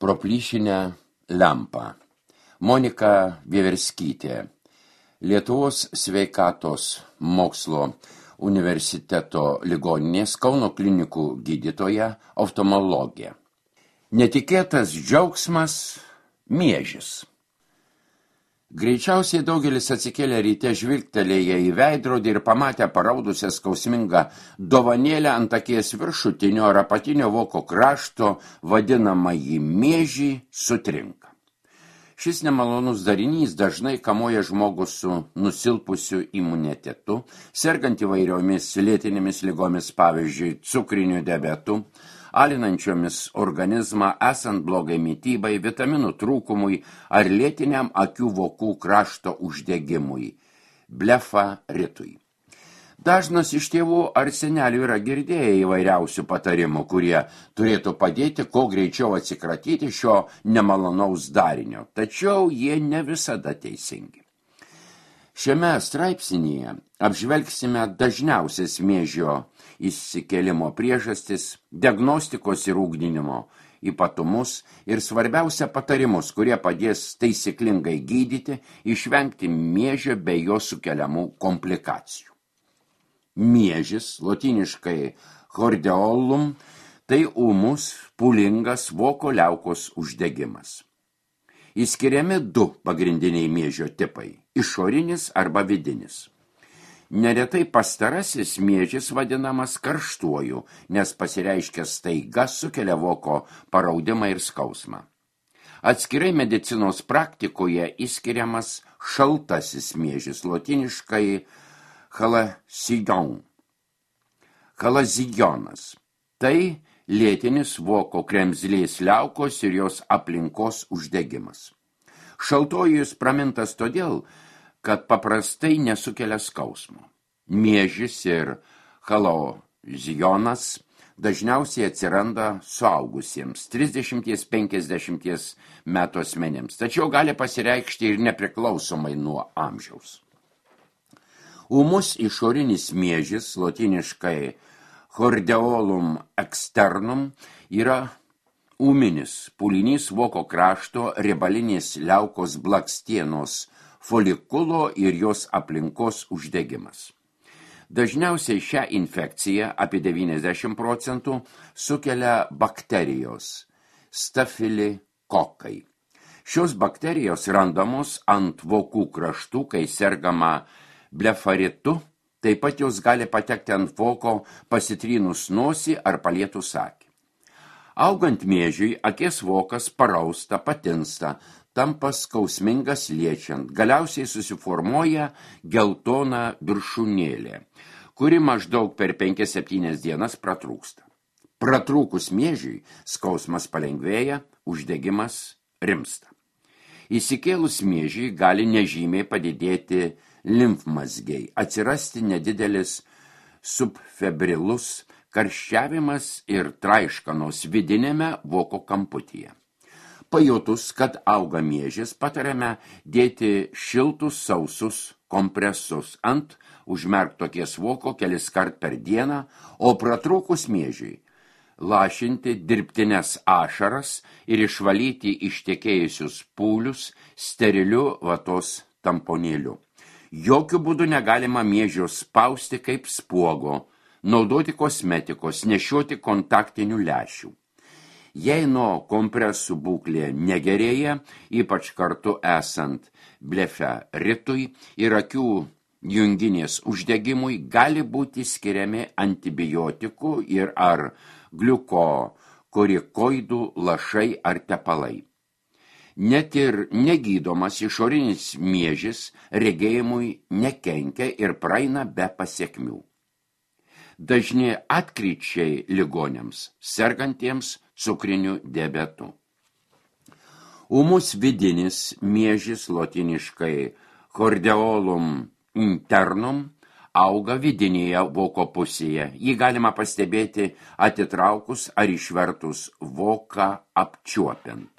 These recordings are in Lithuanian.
Pro plyšinę lempą. Monika Vieverskytė, Lietuvos sveikatos mokslo universiteto ligoninės Kauno klinikų gydytoja, oftalmologė. Netikėtas džiaugsmas – miežis. Greičiausiai daugelis atsikėlė ryte žvilgtelėję į veidrodį ir pamatę paraudusią skausmingą dovanėlę ant akies viršutinio ar apatinio voko krašto, vadinamąjį miežį, sutrinka. Šis nemalonus darinys dažnai kamuoja žmogų su nusilpusiu imunitetu, sergant įvairiomis lėtinėmis ligomis, pavyzdžiui, cukriniu diabetu, alinančiomis organizmą, esant blogai mitybai, vitaminų trūkumui ar lėtiniam akių vokų krašto uždegimui, blefaritui. Dažnas iš tėvų ar senelių yra girdėję įvairiausių patarimų, kurie turėtų padėti kuo greičiau atsikratyti šio nemalonaus darinio, tačiau jie ne visada teisingi. Šiame straipsnyje apžvelgsime dažniausias miežio įsikėlimo priežastis, diagnostikos ir ugdinimo ypatumus ir svarbiausia patarimus, kurie padės taisyklingai gydyti, išvengti miežio bei jo sukeliamų komplikacijų. Miežis, lotyniškai chordeolum, tai ūmus, pūlingas voko liaukos uždegimas. Išskiriami du pagrindiniai miežio tipai – išorinis arba vidinis. Neretai pastarasis miežis vadinamas karštuoju, nes pasireiškia staiga sukelia voko paraudimą ir skausmą. Atskirai medicinos praktikoje išskiriamas šaltasis miežis, lotyniškai chalazionas. Tai lėtinis voko kremzlės liaukos ir jos aplinkos uždegimas. Šaltojus pramintas todėl, kad paprastai nesukelia skausmo. Miežis ir chalazionas dažniausiai atsiranda suaugusiems 30–50 metų asmenims, tačiau gali pasireikšti ir nepriklausomai nuo amžiaus. Ūmus išorinis miežis, lotyniškai chordeolum externum, yra ūminis pūlinys voko krašto riebalinės liaukos blakstienos folikulo ir jos aplinkos uždegimas. Dažniausiai šią infekciją, apie 90%, sukelia bakterijos stafilikokai. Šios bakterijos randamos ant vokų kraštų, kai sergama blefaritu, taip pat jos gali patekti ant voko pasitrynus nosį ar palietus akį. Augant miežiui, akies vokas parausta, patinsta, tampa skausmingas liečiant, galiausiai susiformuoja geltona viršūnėlė, kuri maždaug per 5–7 dienas pratrūksta. Pratrūkus miežiui, skausmas palengvėja, uždegimas rimsta. Įsikėlus miežiui gali nežymiai padidėti limfmazgiai, atsirasti nedidelis subfebrilus karščiavimas ir traiškanos vidinėme voko kamputyje. Pajutus, kad auga miežis, patariame dėti šiltus sausus kompresus ant užmerkto akies voko keliskart per dieną, o pratrūkus miežiui lašinti dirbtines ašaras ir išvalyti ištekėjusius pūlius steriliu vatos tamponėliu. Jokių būdų negalima miežio spausti kaip spuogo, naudoti kosmetikos, nešioti kontaktinių lęšių. Jei nuo kompresų būklė negerėja, ypač kartu esant blefaritui ir akių junginės uždegimui, gali būti skiriami antibiotikų ir ar gliukokorikoidų lašai ar tepalai. Net ir negydomas išorinis miežis regėjimui nekenkia ir praeina be pasiekmių. Dažni atkryčiai ligoniams, sergantiems cukriniu diabetu. Ūmus vidinis miežis, lotyniškai chordeolum internum, auga vidinėje voko pusėje. Jį galima pastebėti atitraukus ar išvertus voką apčiuopiant.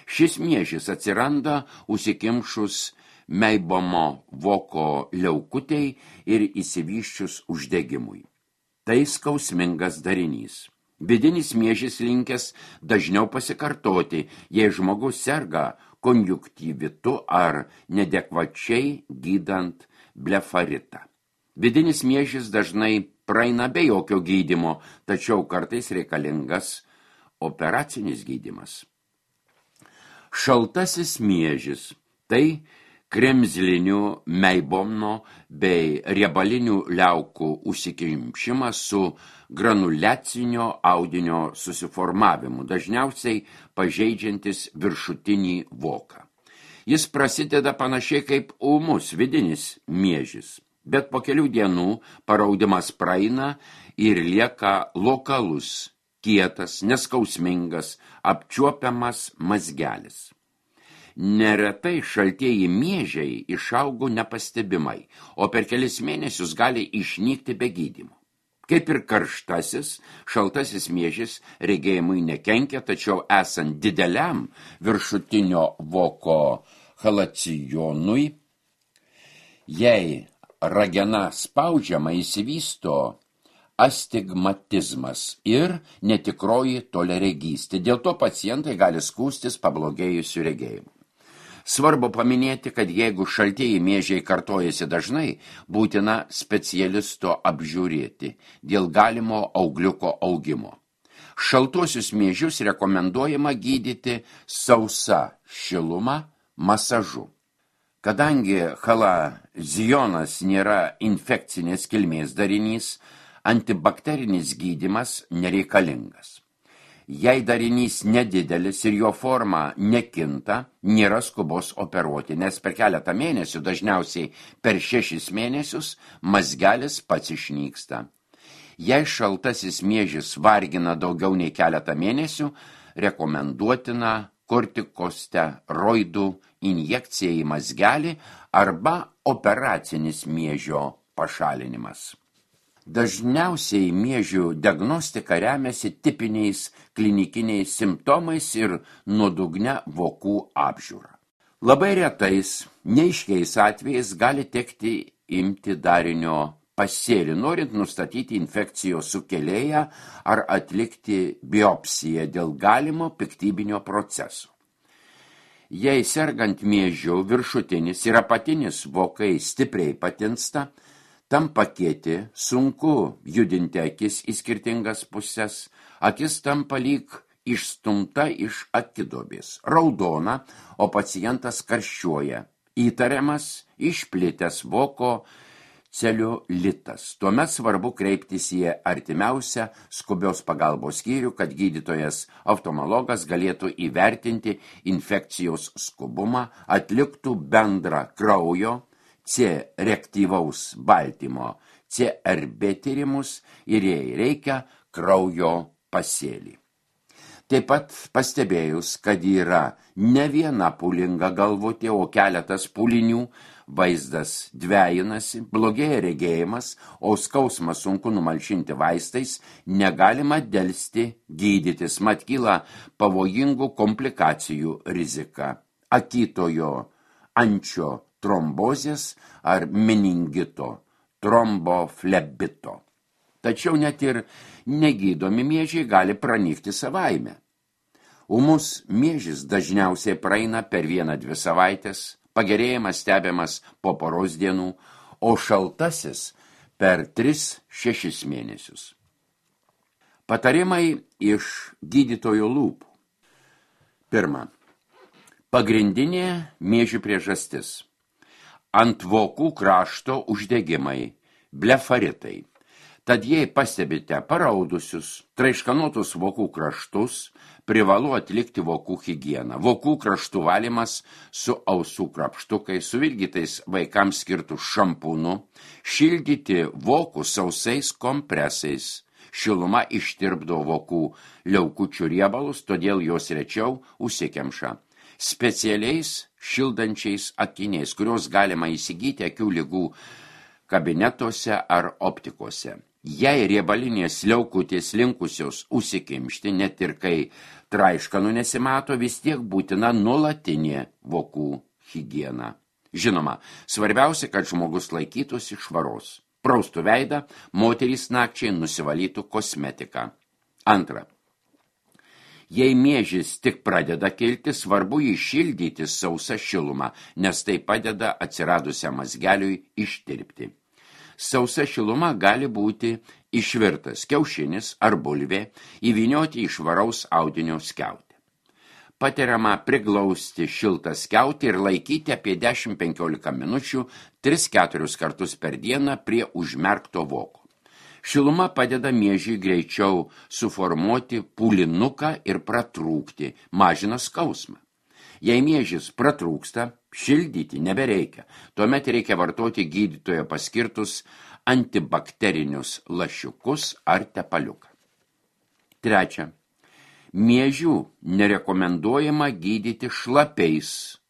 Šis miežis atsiranda užsikimšus meibomo voko liaukutei ir išsivysčius uždegimui. Tai skausmingas darinys. Vidinis miežis linkęs dažniau pasikartoti, jei žmogus serga konjunktyvitu ar nedekvačiai gydant blefaritą. Vidinis miežis dažnai praeina be jokio gydymo, tačiau kartais reikalingas operacinis gydymas. Šaltasis miežis – tai kremzlinių, meibomno bei riebalinių liaukų užsikimšimas su granuliacinio audinio susiformavimu, dažniausiai pažeidžiantis viršutinį voką. Jis prasideda panašiai kaip ūmus vidinis miežis, bet po kelių dienų paraudimas praeina ir lieka lokalus, kietas, neskausmingas, apčiuopiamas mazgelis. Neretai šaltieji miežiai išaugo nepastebimai, o per kelis mėnesius gali išnykti be gydymo. Kaip ir karštasis, šaltasis miežis regėjimui nekenkia, tačiau esant dideliam viršutinio voko halacionui, jei ragena spaudžiama įsivysto astigmatizmas ir netikroji toliaregystė. Dėl to pacientai gali skųstis pablogėjusiu regėjimu. Svarbu paminėti, kad jeigu šaltieji miežiai kartojasi dažnai, būtina specialisto apžiūrėti dėl galimo augliuko augimo. Šaltuosius miežius rekomenduojama gydyti sausa šiluma masažu. Kadangi halazionas nėra infekcinės kilmės darinys, antibakterinis gydymas nereikalingas. Jei darinys nedidelis ir jo forma nekinta, nėra skubos operuoti, nes per keletą mėnesių, dažniausiai per 6 mėnesius, mazgelis pats išnyksta. Jei šaltasis miežis vargina daugiau nei keletą mėnesių, rekomenduotina kortikosteroidų injekcija į mazgelį arba operacinis miežio pašalinimas. Dažniausiai miežių diagnostika remiasi tipiniais klinikiniais simptomais ir nuodugnia vokų apžiūra. Labai retais, neaiškiais atvejais gali tekti imti darinio pasėlį, norint nustatyti infekcijos sukėlėją ar atlikti biopsiją dėl galimo piktybinio proceso. Jei sergant miežiu viršutinis ir apatinis vokai stipriai patinsta, tampa kieti, sunku judinti akis į skirtingas puses, akis tampa lyg išstumta iš akidobės, raudona, o pacientas karščiuoja, įtariamas išplitęs voko celiulitas. Tuomet svarbu kreiptis į artimiausią skubios pagalbos skyrių, kad gydytojas oftalmologas galėtų įvertinti infekcijos skubumą, atliktų bendrą kraujo C reaktyvaus baltymo CRB tyrimus ir jei reikia kraujo pasėlį. Taip pat pastebėjus, kad yra ne viena pūlinga galvutė, o keletas pūlinių, vaizdas dvejinasi, blogėja regėjimas, o skausmą sunku numalšinti vaistais, negalima delsti gydytis, mat kyla pavojingų komplikacijų rizika, akytojo ančio trombozės ar meningito, tromboflebito. Tačiau net ir negydomi miežiai gali pranykti savaime. Ūmus miežis dažniausiai praeina per 1-2 savaitės, pagerėjimas stebiamas po poros dienų, o šaltasis per 3-6 mėnesius. Patarimai iš gydytojo lūpų. Pirma, pagrindinė miežių priežastis. Ant vokų krašto uždegimai, blefaritai. Tad jei pastebite paraudusius, traiškanotus vokų kraštus, privalu atlikti vokų higieną. Vokų kraštų valymas su ausų krapštukais, suvilgytais vaikams skirtų šampūnu, šildyti vokų sausais kompresais. Šiluma ištirpdo vokų liaukučių riebalus, todėl jos rečiau užsikemša. Specialiais šildančiais akiniais, kurios galima įsigyti akių ligų kabinetuose ar optikose. Jei riebalinės liaukutės linkusios užsikimšti, net ir kai traiškanų nesimato, vis tiek būtina nuolatinė vokų higiena. Žinoma, svarbiausia, kad žmogus laikytųsi švaros. Praustų veidą, moterys nakčiai nusivalytų kosmetiką. Antra. Jei miežis tik pradeda kilti, svarbu jį šildyti sausą šilumą, nes tai padeda atsiradusiam mazgeliui ištirpti. Sausa šiluma gali būti išvirtas kiaušinis ar bulvė, įvynioti į švaraus audinio skiautę. Patariama priglausti šiltą skiautę ir laikyti apie 10-15 minučių 3-4 kartus per dieną prie užmerkto voko. Šiluma padeda miežiui greičiau suformuoti pūlinuką ir pratrūkti, mažina skausmą. Jei miežis pratrūksta, šildyti nebereikia, tuomet reikia vartoti gydytojo paskirtus antibakterinius lašiukus ar tepaliuką. Trečia. Miežių nerekomenduojama gydyti šlapiais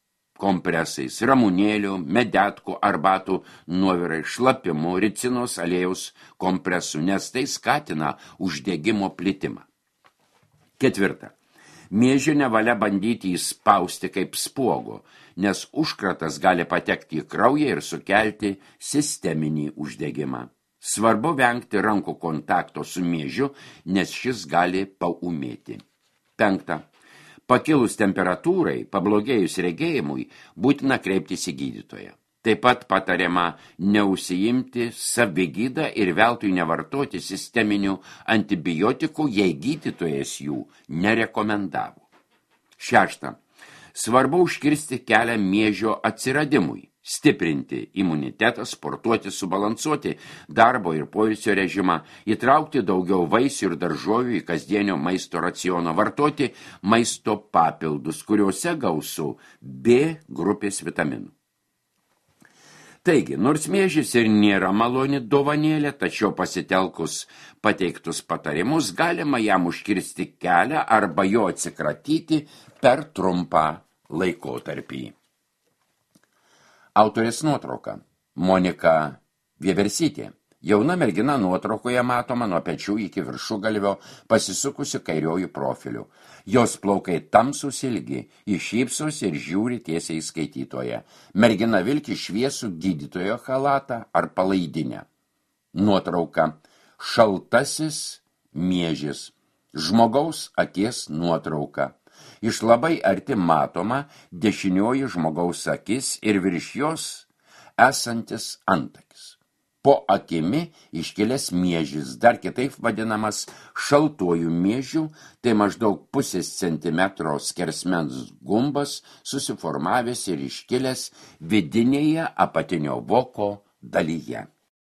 kompresais, ramunėlių, medetkų, arbatų, nuovirai, šlapimų, ricinos aliejaus kompresų, nes tai skatina uždegimo plitimą. Ketvirta. Miežių nevalia bandyti įspausti kaip spuogo, nes užkratas gali patekti į kraują ir sukelti sisteminį uždegimą. Svarbu vengti rankų kontakto su miežiu, nes šis gali paūmėti. Penkta. Pakilus temperatūrai, pablogėjus regėjimui, būtina kreiptis į gydytoją. Taip pat patariama neužsiimti savigydą ir veltui nevartoti sisteminių antibiotikų, jei gydytojas jų nerekomendavo. Šešta. Svarbu užkirsti kelią miežio atsiradimui, stiprinti imunitetą, sportuoti, subalansuoti darbo ir poilsio režimą, įtraukti daugiau vaisių ir daržovių į kasdienio maisto racioną, vartoti maisto papildus, kuriuose gausu B grupės vitaminų. Taigi, nors miežis ir nėra maloni dovanėlė, tačiau pasitelkus pateiktus patarimus galima jam užkirsti kelią arba jo atsikratyti per trumpą laikotarpį. Autorės nuotrauka Monika Vieversytė. Jauna mergina nuotraukoje matoma nuo pečių iki viršugalvio pasisukusi kairiojų profiliu. Jos plaukai tamsūs ilgi, iššypsos ir žiūri tiesiai į skaitytoją. Mergina vilki šviesų gydytojo chalatą ar palaidinę. Nuotrauka Šaltasis miežis. Žmogaus akies nuotrauka. Iš labai arti matoma dešinioji žmogaus akis ir virš jos esantis antakis. Po akimi iškilęs miežis, dar kitaip vadinamas šaltuoju miežiu, tai maždaug 0,5 centimetro skersmens gumbas susiformavęs ir iškilęs vidinėje apatinio voko dalyje.